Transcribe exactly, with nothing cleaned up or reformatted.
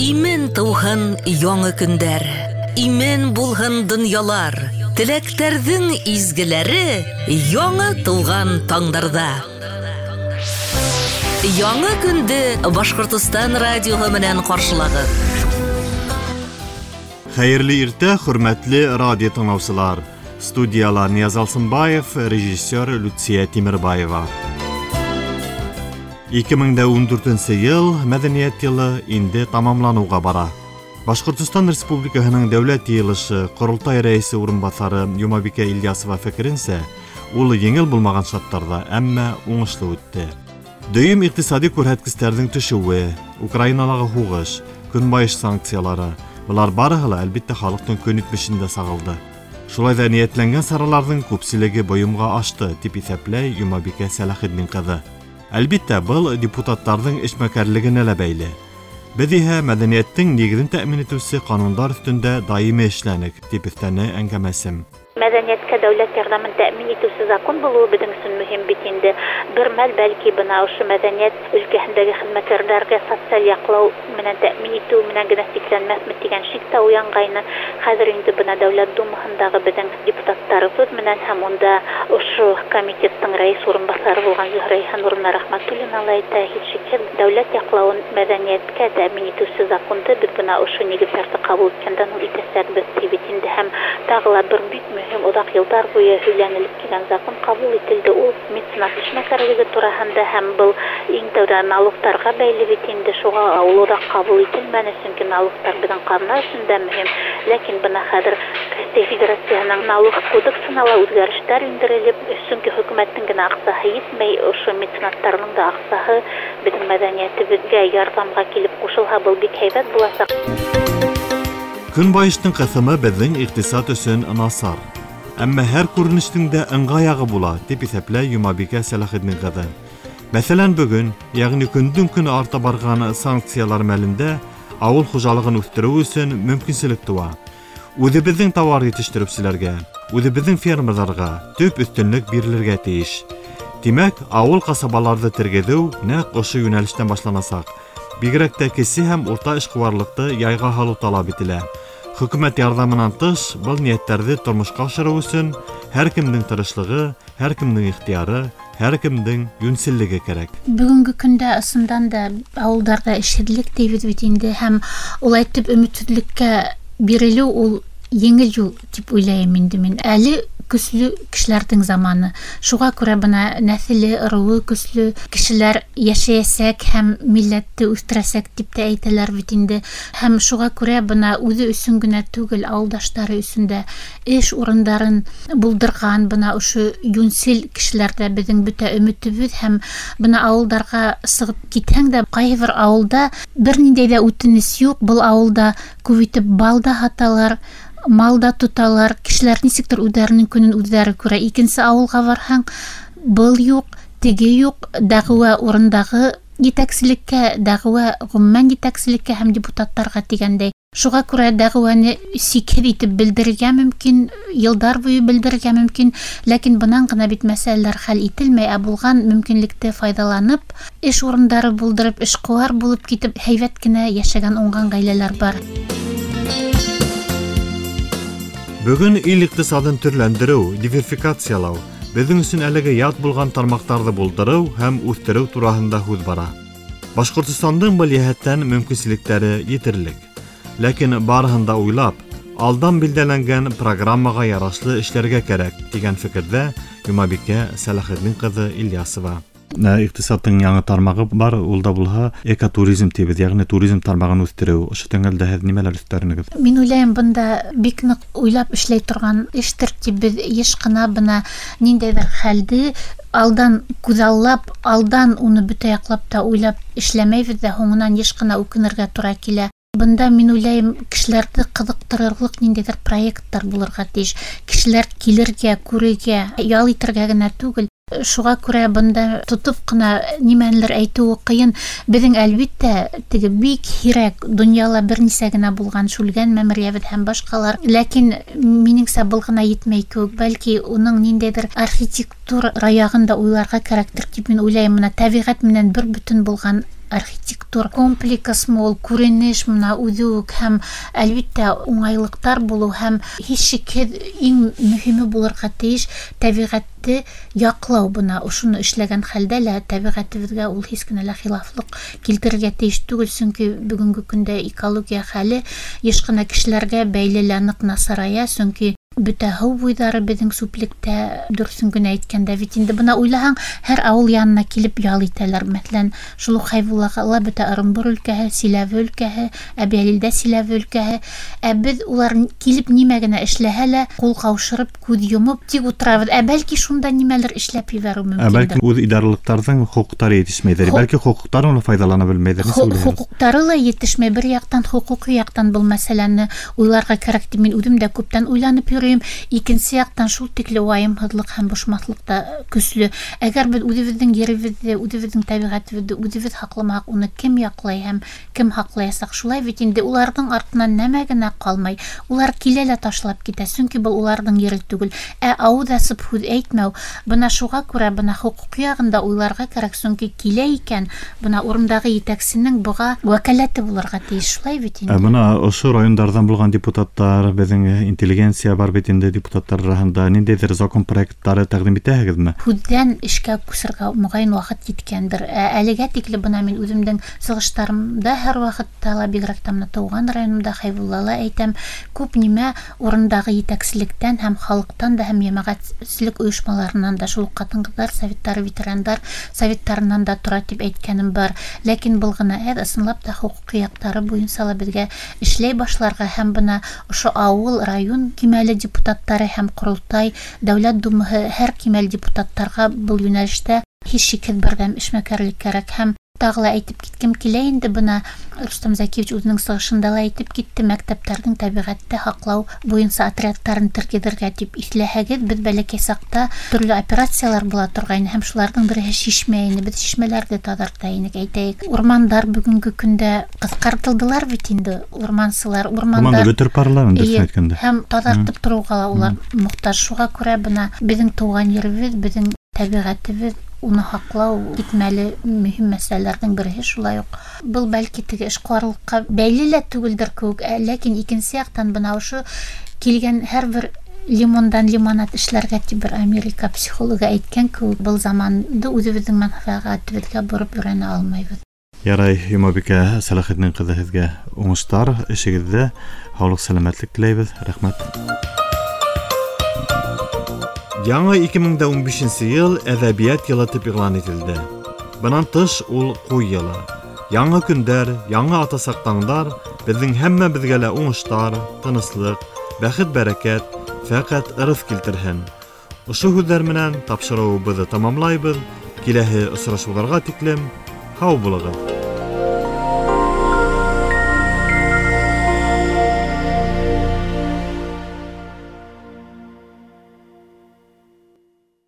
Имен тыуһын яңы көндәр, имен булһын донъялар, теләктәрҙең изгеләре яңы тыуған таңдарҙа. Яңы көндө Башҡортостан радиоһы менән ҡаршылағыҙ. Хәйерле иртә, хөрмәтле радио тыңлаусылар. Студияла Нияз Алсынбаев, режиссер Люция Тимербаева. ике мең дә ун дүртенсе йыл мәҙәниәт йылы инде тамамланыуға бара. Башҡортостан Республикаһының Дәүләт Йыйылышы Ҡоролтай рәйесе урынбаҫары Йомабикә Ильясова фекеренсә, ул еңел булмаған шарттарҙа, әммә уңышлы үтте. Дөйөм иҡтисади күрһәткестәрҙең төшөүе, Украиналағы һуғыш, көнбайыш санкциялары, былар барыһы ла, әлбиттә, халыҡтың көн итмешендә сағылды. Шулай ҙа ниәтләнгән сараларҙың күпселеге бойомға ашты, тип иҫәпләй Йомабикә Сәләхетдин ҡыҙы. Әлбиттә, был депутаттарҙың эшмәкәрлегенә лә бәйле. Беҙ иһә мәҙәниәттең нигеҙен тәьмин итеүсе ҡанундар өҫтөндә даими эшләнек, тип өҫтәне әңгәмәсем. Мәҙәниәткә дәүләт ярҙамын тәьмин итеүсе закон булыуы беҙҙең өсөн мөһим бит инде. Бер мәл бәлки бына ошо мәҙәниәт өлкәһендәге хеҙмәткәрҙәргә социаль яҡлау менән тәьмин итеү менән генә сикләнмәҫме тигән шик тә уянғайны. Хәҙер инде бына Дәүләт Думаһындағы беҙҙең депутаттарыбыҙ менән һәм унда ошо комитеттың рәйес урынбаҫары булған Зөһрә Йыһаннуровна Рәхмәтуллина ла әйтә, һис шикһеҙ дәүләт яҡлауын мәҙәниәткә тәьмин итеүсе законды беҙ бына ошо нигеҙҙәрҙе ҡабул иткәндән һуң итәсәкбеҙ ти бит инде. Һәм тағы ла бер бик мөһим оҙаҡ йылдар буйы һөйләнелеп килгән закон ҡабул ителде. Ул меценат эшмәкәрлеге тураһында һәм был иң тәүҙә налогтарға бәйле бит инде. Шуға ул оҙаҡ ҡабул ителмәне, сөнки налогтар беҙҙең ҡаҙна өсөн дә мөһим. Ләкин бына хәҙер Рәсәй Федерацияһының налог кодексына ла үҙгәрештәр индерелеп, сөнки хөкүмәттең генә аҡсаһы етмәй, ошо меценаттарҙың да аҡсаһы беҙҙең мәҙәниәтебеҙгә ярҙамға килеп ҡушылһа, был бик һәйбәт буласаҡ. Көнбайыштың ҡыҫымы беҙҙең иҡтисад өсөн насар. Әммә һәр күренештең дә ыңғай яғы була, тип иҫәпләй Йомабикә Сәләхетдин ҡыҙы. Мәҫәлән, бөгөн, йәғни көндөң көн арта барған санкциялар мәлендә ауыл хужалығын үҫтереү өсөн мөмкинселек тыуа. Үҙебеҙҙең тауар етештереүселәргә, үҙебеҙҙең фермерҙарға төп өҫтөнлөк бирелергә тейеш. Тимәк, ауыл ҡасабаларҙы тергеҙеү нәҡ ошо йүнәлештән башланасаҡ. Бигерәк тә кесе һәм урта эшҡыуарлыҡты яйға һалыу талап ителә. Хөкүмәт ярҙамынан тыш, был ниәттәрҙе тормошҡа ашырыу өсөн һәр кемдең тырышлығы, һәр кемдең ихтыяры, һәр кемдең йүнселлеге кәрәк. Бөгөнгө көндә ысындан да ауылдарҙа эшһеҙлек тейбеҙ бит инде, һәм улай итеп өмөтһөҙлөккә бирелеү ул еңел юл тип уйлайым инде мин. Әле көслө кешеләрҙең заманы. Шуға күрә бына нәҫеле, ырыуы көслө кешеләр йәшәйәсәк һәм милләтте үҫтерәсәк тип тә әйтәләр бит инде. Һәм шуға күрә бына үҙе өсөн генә түгел, ауылдаштары өсөн дә эш урындарын булдырған бына ошо йүнсел кешеләрҙә беҙҙең бөтә өмөтөбөҙ. Һәм бына ауылдарға сығып китһәң дә, ҡайһы бер ауылда бер ниндәй ҙә үтенес юҡ. Был ауылда күп итеп бал да һаталар, мал да тоталар, кешеләр нисектер үҙҙәренең көнөн үҙҙәре күрә. Икенсе ауылға барһаң, был юҡ, теге юҡ, дәғүә урындағы етәкселеккә, дәғүә ғөмүмән етәкселеккә һәм депутаттарға тигәндәй. Шуға күрә дәғүәне сикһеҙ итеп белдерергә мөмкин, йылдар буйы белдерергә мөмкин, ләкин бынан ғына бит мәсьәләләр хәл ителмәй, ә булған мөмкинлекте файҙаланып, эш урындары булдырып, эшҡыуар булып китеп, һәйбәт кенә йәшәгән уңған ғаиләләр бар. Бөгөн ил иҡтисадын төрләндереү, диверсификациялау, беҙҙең өсөн әлеге ят булған тармаҡтарҙы булдырыу һәм үҫтереү тураһында һүҙ бара. Башҡортостандың был йәһәттән мөмкинселектәре етерлек. Ләкин барыһын да уйлап, алдан билдәләнгән программаға ярашлы эшләргә кәрәк, тигән фекерҙә Йомабикә Сәләхетдин ҡыҙы Ильясова. Иҡтисадтың яңы тармағы бар, ул да булһа экотуризм тибеҙ, йәғни туризм тармағын үҫтереү. Ошо тәңгәлдә һеҙ нимәләр өҫтәрнегеҙ? Мин уйлайым, бында бик ныҡ уйлап эшләй торған эштер тип. Беҙ йыш ҡына бына ниндәйҙер хәлде алдан күҙаллап, алдан уны бөтә яҡлап та уйлап эшләмәйбеҙ ҙә, һуңынан йыш ҡына үкенергә тура килә. Бында мин уйлайым, кешеләрҙе ҡыҙыҡтырырлыҡ ниндәйҙер проекттар булырға тейеш. Кешеләр килергә, күрергә, ял итергә генә түгел. Шуға күрә бында тотоп ҡына нимәнелер әйтеүе ҡыйын. Беҙҙең әлбиттә теге бик һирәк донъяла бер нисә генә булған Шүлгән мәмерйәбеҙ һәм башҡалар. Ләкин минеңсә был ғына етмәй кеүек. Бәлки уның ниндәйҙер архитектура яғын да уйларға кәрәктер тип мин уйлайым. Бына тәбиғәт менән бер бөтөн булған Архитектур комплексмы ул, күренеш мына үҙе үк, һәм әлбиттә уңайлыҡтар булыу, һәм һис шикһеҙ иң мөһиме булырға тейеш тәбиғәтте яҡлау. Бына ошоно эшләгән хәлдә лә тәбиғәтебеҙгә ул һис кенә лә хилафлыҡ килтерергә тейеш түгел, сөнки бөгөнгө көндә экология хәле йыш ҡына кешеләргә бәйле лә ныҡ насарая, сөнки бөтә һыу буйҙары беҙҙең сүплектә, дөрөҫөн генә әйткәндә бит инде. Бына уйлаһаң, һәр ауыл янына килеп ял итәләр. Мәҫәлән, шул уҡ Хәйбуллаға ла бөтә Ырымбур өлкәһе, Силәбе өлкәһе, Әбйәлилдә Силәбе өлкәһе. Ә беҙ улар килеп нимә генә эшләһә лә, ҡул ҡаушырып, күҙ йомоп тик ултырабыҙ. Ә бәлки шунда нимәлер эшләп ебәреү мөмкиндер. Ә бәлки үҙ идаралыҡтарҙың хоҡуҡтары етешмәйҙер. Бәлки хоҡуҡтарын ла файҙалана белмәйҙер. Хоҡуҡтары ла етешмәй. Бер яҡтан хоҡуҡи яҡтан был мәсьәләне уйларға кәрәк тип мин үҙем дә күптән уйланып йөрөйөм. Икенсе яҡтан шул тикле вайымһыҙлыҡ һәм бошмаҫлыҡ та көслө. Әгәр беҙ үҙебеҙҙең еребеҙҙе, үҙебеҙҙең тәбиғәтебеҙҙе үҙебеҙ һаҡламаһаҡ, уны кем яҡлай һәм кем һаҡлаясаҡ? Шулай бит инде, уларҙың артынан нәмә генә ҡалмай. Улар килә лә ташлап китә, сөнки был уларҙың ере түгел. Ә ауыҙ асып һүҙ әйтмәү, бына шуға күрә бына хоҡуҡ яғында уйларға кәрәк, сөнки килә икән, бына урындағы етәксенең быға вәкәләте булырға тейеш, шулай бит инде. Ә бына ошо райондарҙан булған депутаттар, беҙҙең интеллигенция бар бит инде депутаттар араһында, ниндәйҙер закон проекттары тәҡдим итәһегеҙме? Һүҙҙән эшкә күсергә моғайын ваҡыт еткәндер. Ә әлегә тикле бына мин үҙемдең сығыштарымда һәр ваҡытта ла, бигерәк тә бына тыуған районымда Хәйбуллала әйтәм, күп нимә урындағы етәкселектән һәм халыҡтан да, һәм йәмәғәтселек ойошмаларынан да, шул уҡ ҡатын-ҡыҙҙар советтары, ветерандар советтарынан да тора тип әйткәнем бар. Ләкин был ғына әҙ, ысынлап та хоҡуҡи яҡтары буйынса ла беҙгә эшләй башларға, һәм бына ошо ауыл, район кимәле депутаттары һәм Ҡоролтай, Дәүләт Думаһы һәр кимәл депутаттарға был йүнәлештә һис шикһеҙ берҙәм эшмәкәрлек кәрәк. Һәм тағы ла әйтеп киткем килә инде, бына Рөстәм Зәкиевич үҙенең сығышында ла әйтеп китте, мәктәптәрҙең тәбиғәтте һаҡлау буйынса отрядтарын тергеҙергә тип. Иҫләһәгеҙ, беҙ бәләкәй саҡта төрлө операциялар була торғайны, һәм шуларҙың береһе шишмә ине. Беҙ шишмәләрҙе таҙарта инек, әйтәйек. Урмандар бөгөнгө көндә ҡыҫҡартылдылар бит инде, урмансылар, урмандар урманды бөтөрөп баралар, дөрөҫөн әйткәндә. Һәм таҙартып тороуға ла улар мохтаж. Шуға күрә бына беҙҙең тыуған еребеҙ, беҙҙең тәбиғәтебеҙ, уны һаҡлау китмәле мөһим мәсьәләләрҙең береһе шулай уҡ. Был бәлки теге эшҡыуарлыҡҡа бәйле лә түгелдер кеүек, ләкин икенсе яҡтан бына ошо килгән һәр бер лимондан лимонад эшләргә тип бер Америка психологы әйткән кеүек, был заманды үҙебеҙҙең мәнфәғәтебеҙгә бороп өйрәнә алмайбыҙ. Ярай, Йомабикә Сәләхетдин ҡыҙы, һеҙгә уңыштар эшегеҙҙә, һаулыҡ, сәләмәтлек теләйбеҙ. Рәхмәт. Яңы ике мең дә ун бишенсе йыл әҙәбиәт йылы тип иғлан ителде. Бынан тыш ул ҡуй йылы. Яңы көндәр, яңы атасаҡ таңдар беҙҙең һәммәбеҙгә лә уңыштар, тыныслыҡ, бәхет-бәрәкәт, фәҡәт ырыҫ килтерһен. Ошо һүҙҙәр менән тапшырыуыбыҙҙы тамамлайбыҙ. Киләһе осрашыуҙарға тиклем һау булығыҙ.